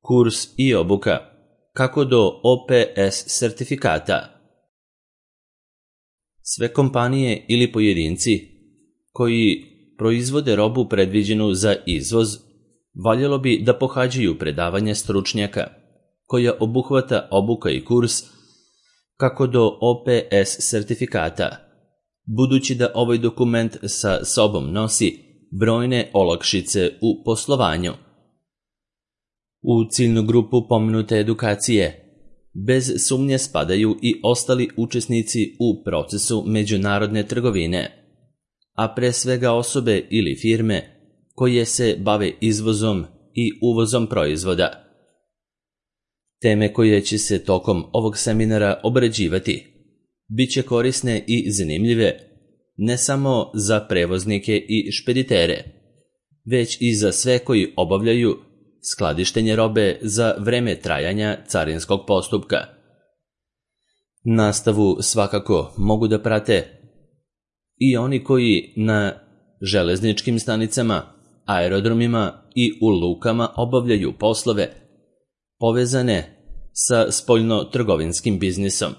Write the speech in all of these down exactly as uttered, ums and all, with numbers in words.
Kurs i obuka kako do O P S sertifikata. Sve kompanije ili pojedinci koji proizvode robu predviđenu za izvoz, valjalo bi da pohađaju predavanje stručnjaka, koja obuhvata obuka i kurs kako do O P S sertifikata, budući da ovaj dokument sa sobom nosi brojne olakšice u poslovanju. U ciljnu grupu pomenute edukacije bez sumnje spadaju i ostali učesnici u procesu međunarodne trgovine, a pre svega osobe ili firme koje se bave izvozom i uvozom proizvoda. Teme koje će se tokom ovog seminara obrađivati bit će korisne i zanimljive ne samo za prevoznike i špeditere, već i za sve koji obavljaju skladištenje robe za vreme trajanja carinskog postupka. Nastavu svakako mogu da prate i oni koji na železničkim stanicama, aerodromima i u lukama obavljaju poslove povezane sa spoljno-trgovinskim biznisom.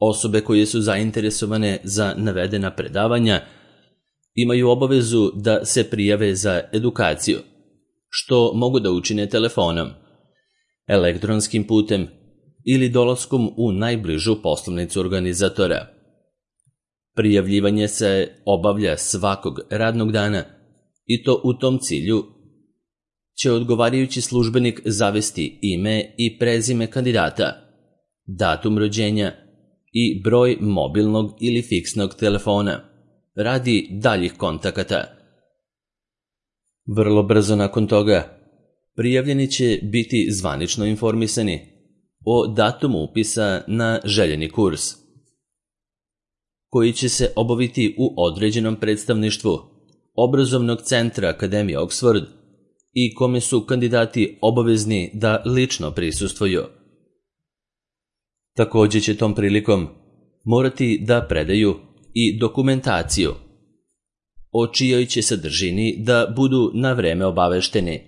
Osobe koje su zainteresovane za navedena predavanja imaju obavezu da se prijave za edukaciju, što mogu da učine telefonom, elektronskim putem ili dolaskom u najbližu poslovnicu organizatora. Prijavljivanje se obavlja svakog radnog dana i to u tom cilju će odgovarajući službenik zavesti ime i prezime kandidata, datum rođenja i broj mobilnog ili fiksnog telefona radi daljih kontakata. Vrlo brzo nakon toga prijavljeni će biti zvanično informisani o datumu upisa na željeni kurs, koji će se obaviti u određenom predstavništvu obrazovnog centra Akademije Oxford i kome su kandidati obavezni da lično prisustvuju. Također će tom prilikom morati da predaju i dokumentaciju, o čijoj će sadržini da budu na vreme obavešteni.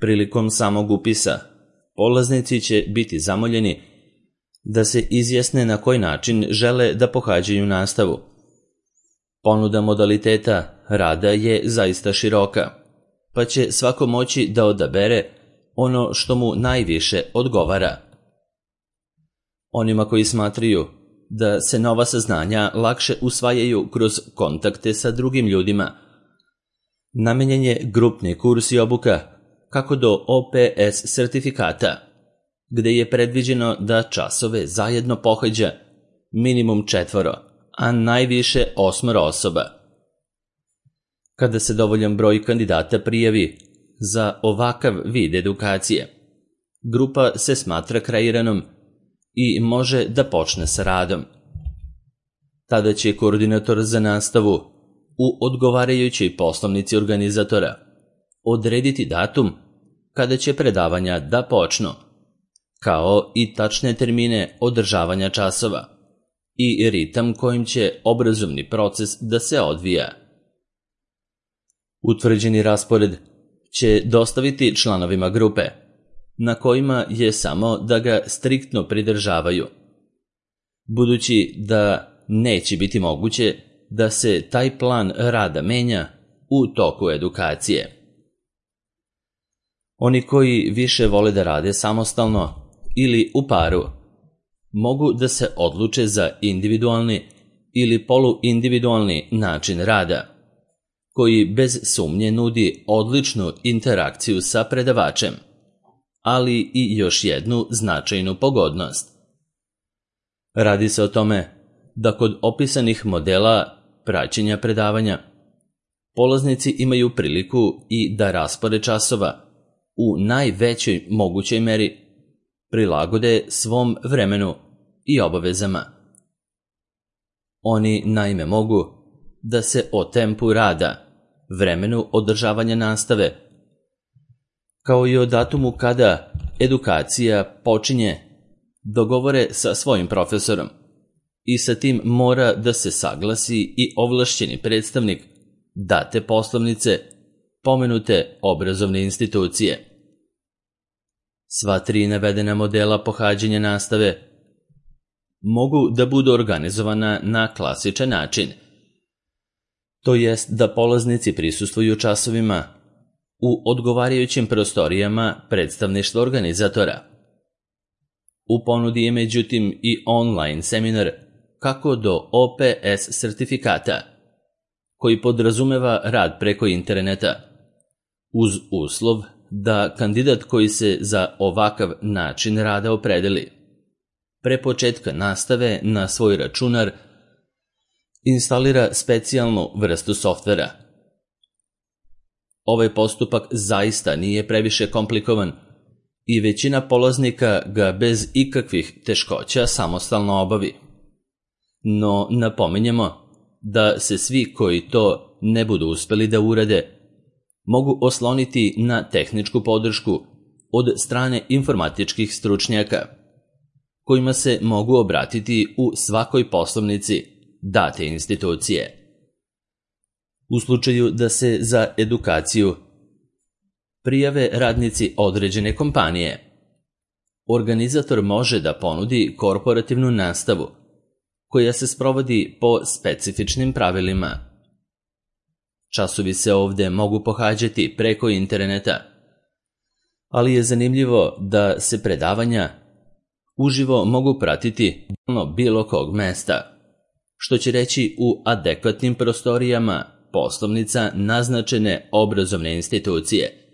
Prilikom samog upisa, polaznici će biti zamoljeni da se izjasne na koji način žele da pohađaju nastavu. Ponuda modaliteta rada je zaista široka, pa će svako moći da odabere ono što mu najviše odgovara. Onima koji smatraju da se nova saznanja lakše usvajaju kroz kontakte sa drugim ljudima, namenjen je grupni kurs i obuka kako do O P S sertifikata, gde je predviđeno da časove zajedno pohađa minimum četvoro, a najviše osmoro osoba. Kada se dovoljan broj kandidata prijavi za ovakav vid edukacije, grupa se smatra kreiranom i može da počne sa radom. Tada će koordinator za nastavu u odgovarajućoj poslovnici organizatora odrediti datum kada će predavanja da počnu, kao i tačne termine održavanja časova i ritam kojim će obrazovni proces da se odvija. Utvrđeni raspored će dostaviti članovima grupe, na kojima je samo da ga striktno pridržavaju, budući da neće biti moguće da se taj plan rada menja u toku edukacije. Oni koji više vole da rade samostalno ili u paru, mogu da se odluče za individualni ili poluindividualni način rada, koji bez sumnje nudi odličnu interakciju sa predavačem, ali i još jednu značajnu pogodnost. Radi se o tome da kod opisanih modela praćenja predavanja polaznici imaju priliku i da raspored časova u najvećoj mogućoj meri prilagode svom vremenu i obavezama. Oni naime mogu da se o tempu rada, vremenu održavanja nastave, kao i o datumu kada edukacija počinje, dogovore sa svojim profesorom i sa tim mora da se saglasi i ovlašćeni predstavnik date poslovnice pomenute obrazovne institucije. Sva tri navedena modela pohađanja nastave mogu da budu organizovana na klasičan način, to jest da polaznici prisustvuju časovima u odgovarajućim prostorijama predstavništva organizatora. U ponudi je međutim i online seminar kako do O P S sertifikata, koji podrazumeva rad preko interneta, uz uslov da kandidat koji se za ovakav način rada opredeli, pre početka nastave na svoj računar instalira specijalnu vrstu softvera. Ovaj postupak zaista nije previše komplikovan i većina polaznika ga bez ikakvih teškoća samostalno obavi. No napominjemo da se svi koji to ne budu uspeli da urade mogu osloniti na tehničku podršku od strane informatičkih stručnjaka, kojima se mogu obratiti u svakoj poslovnici date institucije. U slučaju da se za edukaciju prijave radnici određene kompanije, organizator može da ponudi korporativnu nastavu koja se sprovodi po specifičnim pravilima. Časovi se ovde mogu pohađati preko interneta, ali je zanimljivo da se predavanja uživo mogu pratiti na bilo kog mesta, što će reći u adekvatnim prostorijama poslovnica naznačene obrazovne institucije,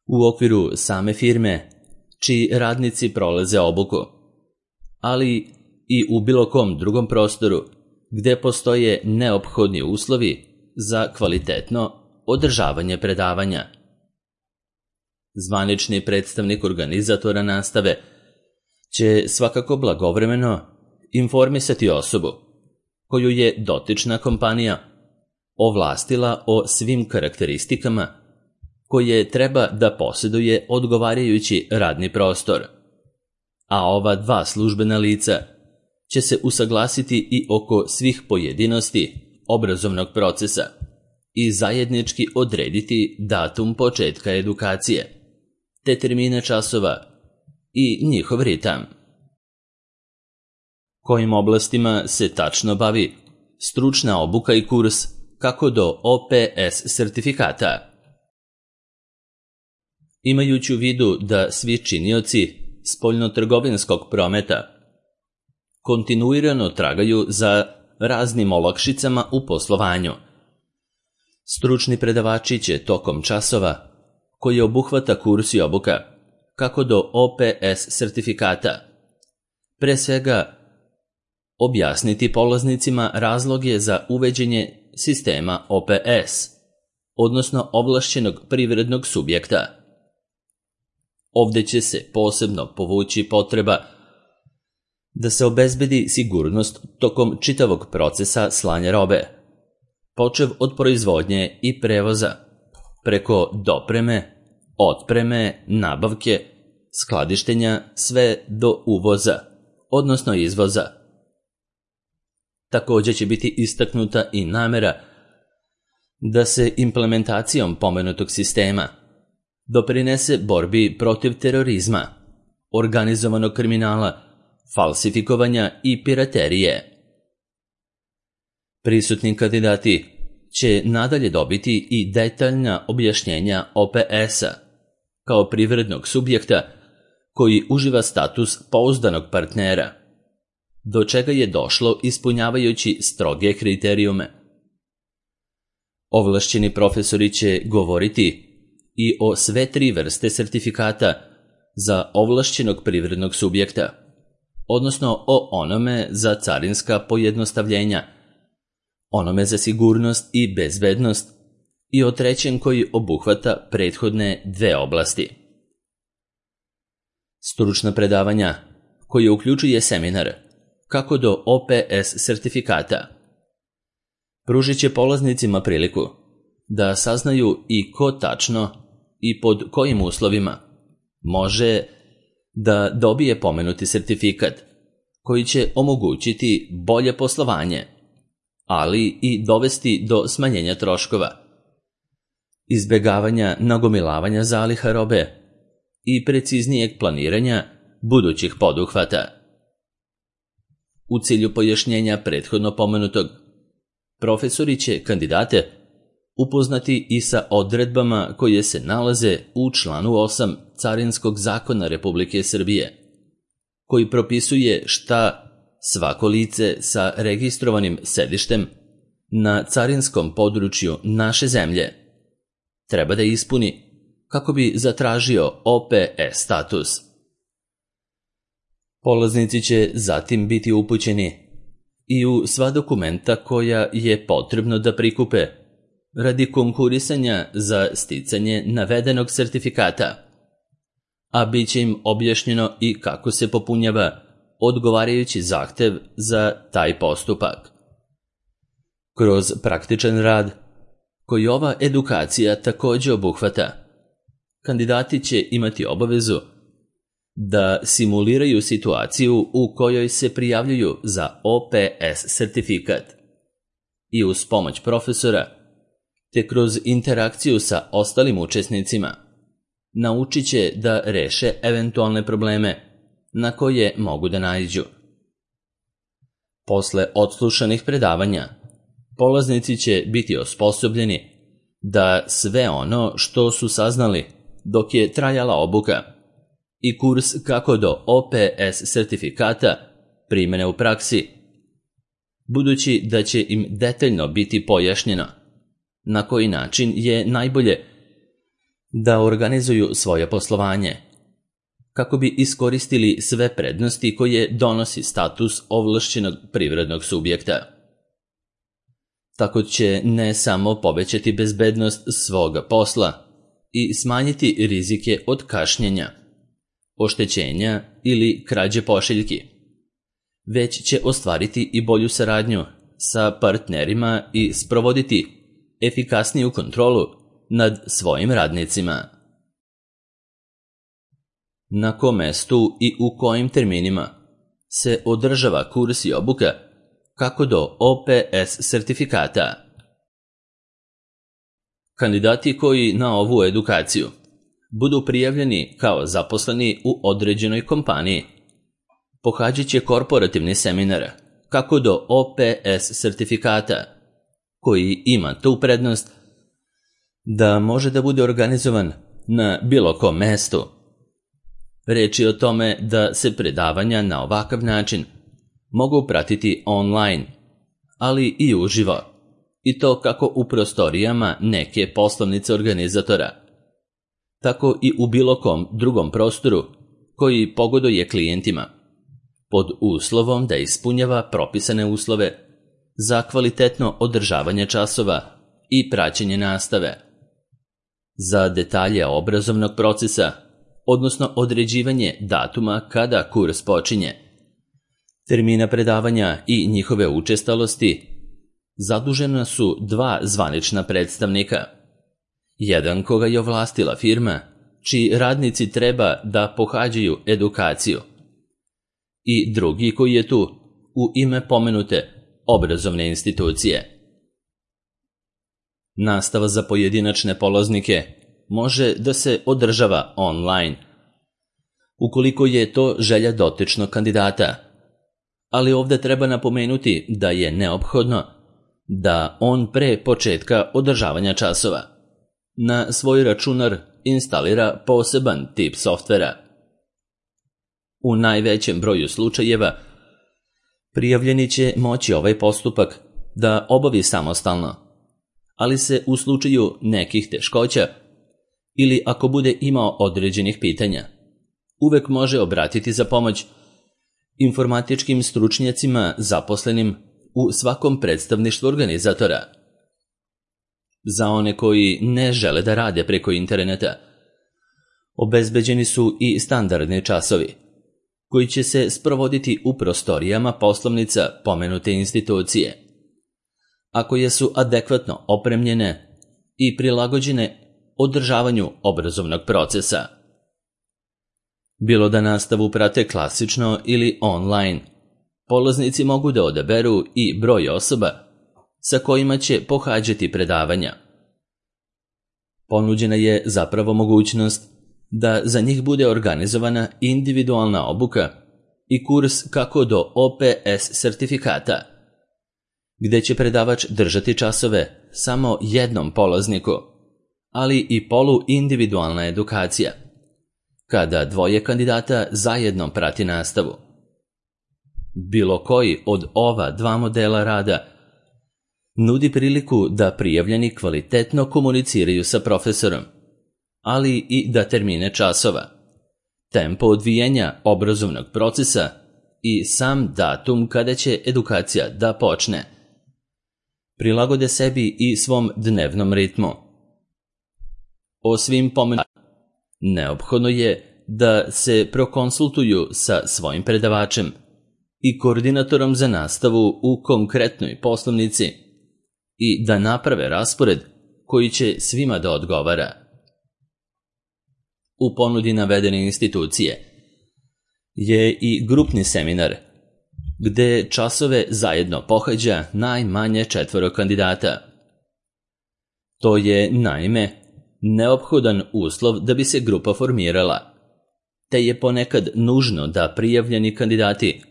u okviru same firme čiji radnici prolaze obuku, ali i u bilo kom drugom prostoru gde postoje neophodni uslovi za kvalitetno održavanje predavanja. Zvanični predstavnik organizatora nastave će svakako blagovremeno informisati osobu koju je dotična kompanija ovlastila o svim karakteristikama koje treba da posjeduje odgovarajući radni prostor, a ova dva službena lica će se usaglasiti i oko svih pojedinosti obrazovnog procesa i zajednički odrediti datum početka edukacije, te termine časova i njihov ritam. Kojim oblastima se tačno bavi stručna obuka i kurs kako do O P S sertifikata? Imajući u vidu da svi činioci spoljnotrgovinskog prometa kontinuirano tragaju za raznim olakšicama u poslovanju, stručni predavači će tokom časova, koji obuhvata kurs i obuka kako do O P S sertifikata, pre svega objasniti polaznicima razloge za uveđenje sistema O P S, odnosno ovlašćenog privrednog subjekta. Ovde će se posebno povući potreba da se obezbedi sigurnost tokom čitavog procesa slanja robe, počev od proizvodnje i prevoza, preko dopreme, otpreme, nabavke, skladištenja, sve do uvoza, odnosno izvoza. Također će biti istaknuta i namera da se implementacijom pomenutog sistema doprinese borbi protiv terorizma, organizovanog kriminala, falsifikovanja i piraterije. Prisutni kandidati će nadalje dobiti i detaljna objašnjenja O P S-a kao privrednog subjekta koji uživa status pouzdanog partnera, do čega je došlo ispunjavajući stroge kriterijume. Ovlašćeni profesori će govoriti i o sve tri vrste sertifikata za ovlašćenog privrednog subjekta, odnosno o onome za carinska pojednostavljenja, onome za sigurnost i bezbednost i o trećem koji obuhvata prethodne dve oblasti. Stručna predavanja, koje uključuje seminar kako do O P S sertifikata, pružit će polaznicima priliku da saznaju i ko tačno i pod kojim uslovima može da dobije pomenuti sertifikat koji će omogućiti bolje poslovanje, ali i dovesti do smanjenja troškova, izbjegavanja nagomilavanja zaliha robe i preciznijeg planiranja budućih poduhvata. U cilju pojašnjenja prethodno pomenutog, profesori će kandidate upoznati i sa odredbama koje se nalaze u članu osam Carinskog zakona Republike Srbije, koji propisuje šta svako lice sa registrovanim sedištem na carinskom području naše zemlje treba da ispuni kako bi zatražio O P E status. Polaznici će zatim biti upućeni i u sva dokumenta koja je potrebno da prikupe radi konkurisanja za sticanje navedenog sertifikata, a bit će im objašnjeno i kako se popunjava odgovarajući zahtev za taj postupak. Kroz praktičan rad, koji ova edukacija također obuhvata, kandidati će imati obavezu da simuliraju situaciju u kojoj se prijavljuju za O P S sertifikat i uz pomoć profesora, te kroz interakciju sa ostalim učesnicima, naučit će da reše eventualne probleme na koje mogu da naiđu. Posle odslušanih predavanja, polaznici će biti osposobljeni da sve ono što su saznali dok je trajala obuka i kurs kako do O P S sertifikata primene u praksi, budući da će im detaljno biti pojašnjeno na koji način je najbolje da organizuju svoje poslovanje, kako bi iskoristili sve prednosti koje donosi status ovlašćenog privrednog subjekta. Tako će ne samo povećati bezbednost svoga posla i smanjiti rizike od kašnjenja, oštećenja ili krađe pošiljki, već će ostvariti i bolju saradnju sa partnerima i sprovoditi efikasniju kontrolu nad svojim radnicima. Na kom mestu i u kojim terminima se održava kurs i obuka kako do O P S sertifikata? Kandidati koji na ovu edukaciju budu prijavljeni kao zaposleni u određenoj kompaniji pohađat će korporativni seminar kako do O P S sertifikata, koji ima tu prednost da može da bude organizovan na bilo kom mestu. Reč je o tome da se predavanja na ovakav način mogu pratiti online, ali i uživo, i to kako u prostorijama neke poslovnice organizatora, tako i u bilo kom drugom prostoru koji pogoduje klijentima, pod uslovom da ispunjava propisane uslove za kvalitetno održavanje časova i praćenje nastave. Za detalje obrazovnog procesa, odnosno određivanje datuma kada kurs počinje, termina predavanja i njihove učestalosti, zadužena su dva zvanična predstavnika. Jedan koga je ovlastila firma, čiji radnici treba da pohađaju edukaciju, i drugi koji je tu u ime pomenute obrazovne institucije. Nastava za pojedinačne polaznike može da se održava online, ukoliko je to želja dotičnog kandidata, ali ovdje treba napomenuti da je neophodno da on pre početka održavanja časova na svoj računar instalira poseban tip softvera. U najvećem broju slučajeva prijavljeni će moći ovaj postupak da obavi samostalno, ali se u slučaju nekih teškoća ili ako bude imao određenih pitanja, uvek može obratiti za pomoć informatičkim stručnjacima zaposlenim u svakom predstavništvu organizatora. Za one koji ne žele da rade preko interneta, obezbeđeni su i standardni časovi, koji će se sprovoditi u prostorijama poslovnica pomenute institucije, a koje su adekvatno opremljene i prilagođene održavanju obrazovnog procesa. Bilo da nastavu prate klasično ili online, polaznici mogu da odaberu i broj osoba sa kojima će pohađati predavanja. Ponuđena je zapravo mogućnost da za njih bude organizovana individualna obuka i kurs kako do O P S sertifikata, gde će predavač držati časove samo jednom polazniku, ali i poluindividualna edukacija, kada dvoje kandidata zajedno prati nastavu. Bilo koji od ova dva modela rada nudi priliku da prijavljeni kvalitetno komuniciraju sa profesorom, ali i da termine časova, tempo odvijanja obrazovnog procesa i sam datum kada će edukacija da počne prilagode sebi i svom dnevnom ritmu. O svim pomenutama neophodno je da se prokonsultuju sa svojim predavačem i koordinatorom za nastavu u konkretnoj poslovnici i da naprave raspored koji će svima da odgovara. U ponudi navedene institucije je i grupni seminar, gde časove zajedno pohađa najmanje četvoro kandidata. To je, naime, neophodan uslov da bi se grupa formirala, te je ponekad nužno da prijavljeni kandidati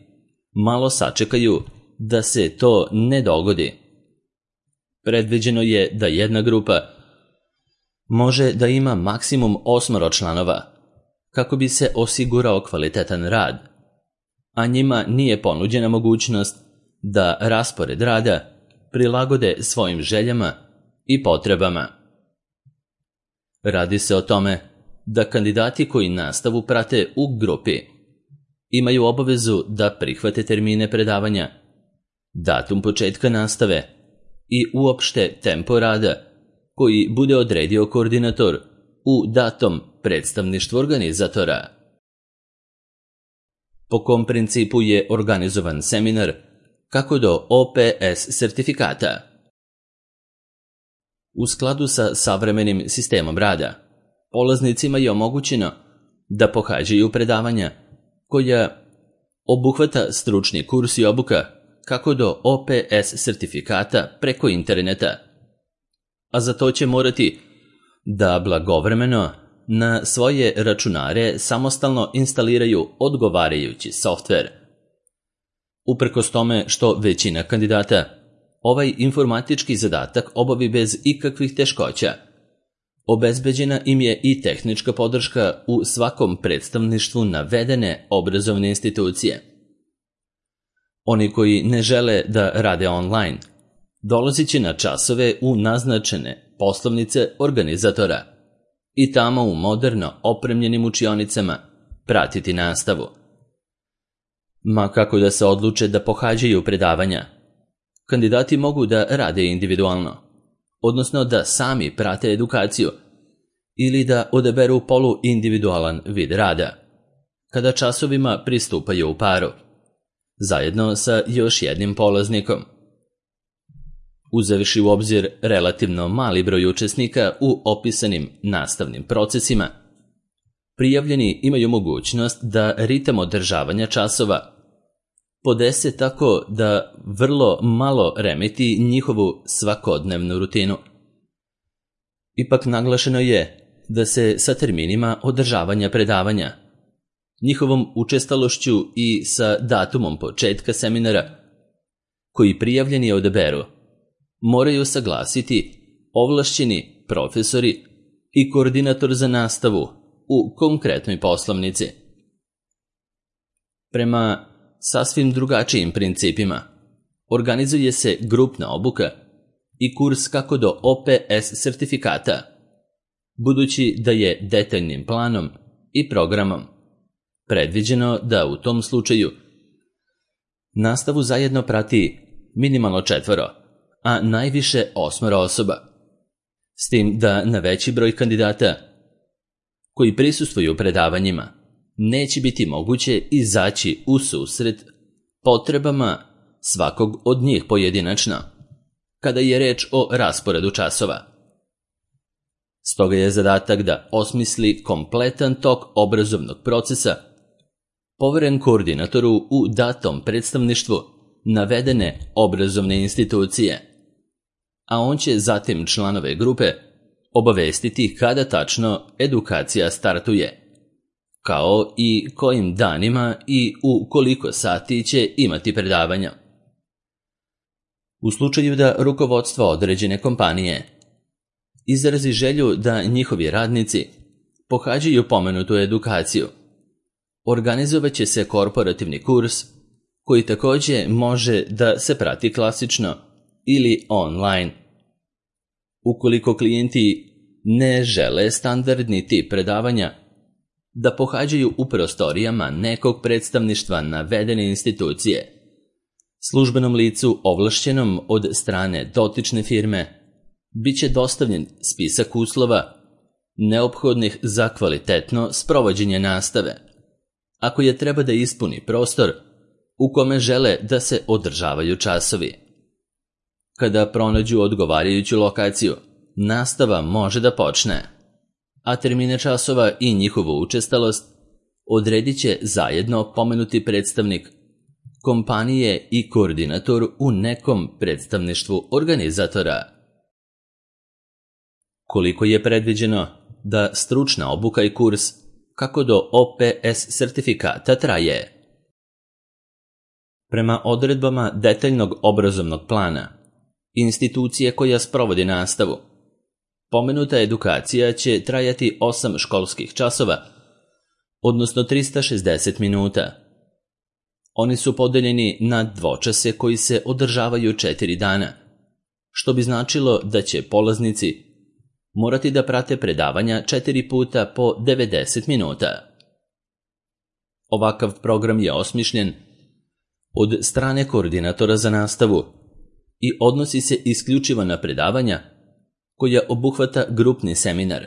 malo sačekaju da se to ne dogodi. Predviđeno je da jedna grupa može da ima maksimum osmoro članova, kako bi se osigurao kvalitetan rad, a njima nije ponuđena mogućnost da raspored rada prilagode svojim željama i potrebama. Radi se o tome da kandidati koji nastavu prate u grupi imaju obavezu da prihvate termine predavanja, datum početka nastave i uopšte tempo rada koji bude odredio koordinator u datom predstavništvu organizatora. Po kom principu je organizovan seminar kako do O P S sertifikata? U skladu sa savremenim sistemom rada, polaznicima je omogućeno da pohađaju predavanja koja obuhvata stručni kurs i obuka kako do O P S sertifikata preko interneta, a za to će morati da blagovremeno na svoje računare samostalno instaliraju odgovarajući softver. Uprkos tome što većina kandidata ovaj informatički zadatak obavi bez ikakvih teškoća, obezbeđena im je i tehnička podrška u svakom predstavništvu navedene obrazovne institucije. Oni koji ne žele da rade online, dolazit će na časove u naznačene poslovnice organizatora i tamo u moderno opremljenim učionicama pratiti nastavu. Ma kako da se odluče da pohađaju predavanja, kandidati mogu da rade individualno, odnosno da sami prate edukaciju ili da odaberu poluindividualan vid rada, kada časovima pristupaju u paru, zajedno sa još jednim polaznikom. Uzevši u obzir relativno mali broj učesnika u opisanim nastavnim procesima, prijavljeni imaju mogućnost da ritam održavanja časova podese tako da vrlo malo remeti njihovu svakodnevnu rutinu. Ipak naglašeno je da se sa terminima održavanja predavanja, njihovom učestalošću i sa datumom početka seminara, koji prijavljeni odaberu, moraju saglasiti ovlašćeni profesori i koordinator za nastavu u konkretnoj poslovnici. Prema sasvim drugačijim principima organizuje se grupna obuka i kurs kako do O P S sertifikata, budući da je detaljnim planom i programom predviđeno da u tom slučaju nastavu zajedno prati minimalno četvoro, a najviše osmoro osoba, s tim da na veći broj kandidata koji prisustvuju predavanjima neće biti moguće izaći u susret potrebama svakog od njih pojedinačno, kada je reč o rasporedu časova. Stoga je zadatak da osmisli kompletan tok obrazovnog procesa poveren koordinatoru u datom predstavništvu navedene obrazovne institucije, a on će zatim članove grupe obavestiti kada tačno edukacija startuje, kao i kojim danima i u koliko sati će imati predavanja. U slučaju da rukovodstvo određene kompanije izrazi želju da njihovi radnici pohađaju pomenutu edukaciju, organizovat će se korporativni kurs koji također može da se prati klasično ili online. Ukoliko klijenti ne žele standardni tip predavanja da pohađaju u prostorijama nekog predstavništva navedene institucije, službenom licu ovlašćenom od strane dotične firme bit će dostavljen spisak uslova neophodnih za kvalitetno sprovođenje nastave, ako je treba da ispuni prostor u kome žele da se održavaju časovi. Kada pronađu odgovarajuću lokaciju, nastava može da počne, a termine časova i njihovu učestalost odredit će zajedno pomenuti predstavnik kompanije i koordinator u nekom predstavništvu organizatora. Koliko je predviđeno da stručna obuka i kurs kako do O P S sertifikata traje? Prema odredbama detaljnog obrazovnog plana institucije koja sprovodi nastavu, pomenuta edukacija će trajati osam školskih časova, odnosno trista šezdeset minuta. Oni su podeljeni na dvočase koji se održavaju četiri dana, što bi značilo da će polaznici morati da prate predavanja četiri puta po devedeset minuta. Ovakav program je osmišljen od strane koordinatora za nastavu i odnosi se isključivo na predavanja koja obuhvata grupni seminar,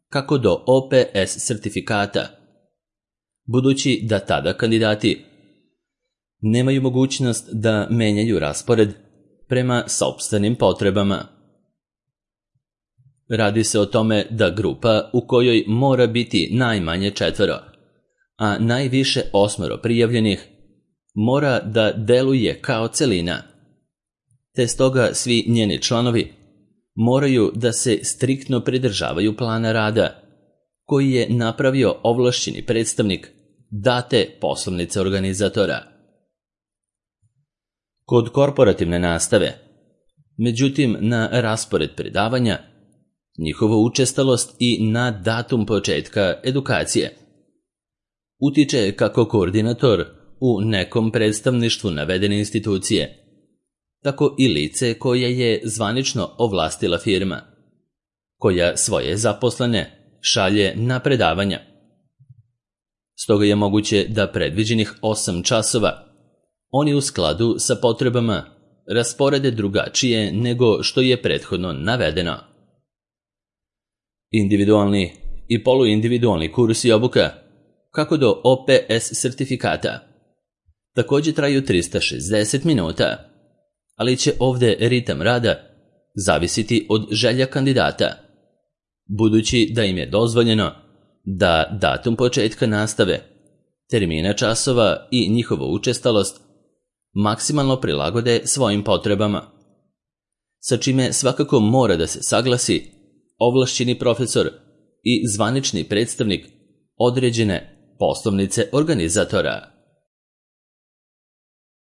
kako do O P S sertifikata, budući da tada kandidati nemaju mogućnost da menjaju raspored prema sopstvenim potrebama. Radi se o tome da grupa u kojoj mora biti najmanje četvoro, a najviše osmoro prijavljenih, mora da deluje kao celina, te stoga svi njeni članovi moraju da se striktno pridržavaju plana rada koji je napravio ovlašćeni predstavnik date poslovnice organizatora. Kod korporativne nastave, međutim, na raspored predavanja, njihovu učestalost i na datum početka edukacije utiče kako koordinator u nekom predstavništvu navedene institucije, tako i lice koje je zvanično ovlastila firma, koja svoje zaposlene šalje na predavanja. Stoga je moguće da predviđenih osam časova oni u skladu sa potrebama rasporede drugačije nego što je prethodno navedeno. Individualni i poluindividualni kurs i obuka, kako do O P S sertifikata, također traju trista šezdeset minuta, ali će ovdje ritam rada zavisiti od želja kandidata, budući da im je dozvoljeno da datum početka nastave, termina časova i njihovu učestalost maksimalno prilagode svojim potrebama, sa čime svakako mora da se saglasi ovlašćeni profesor i zvanični predstavnik određene poslovnice organizatora.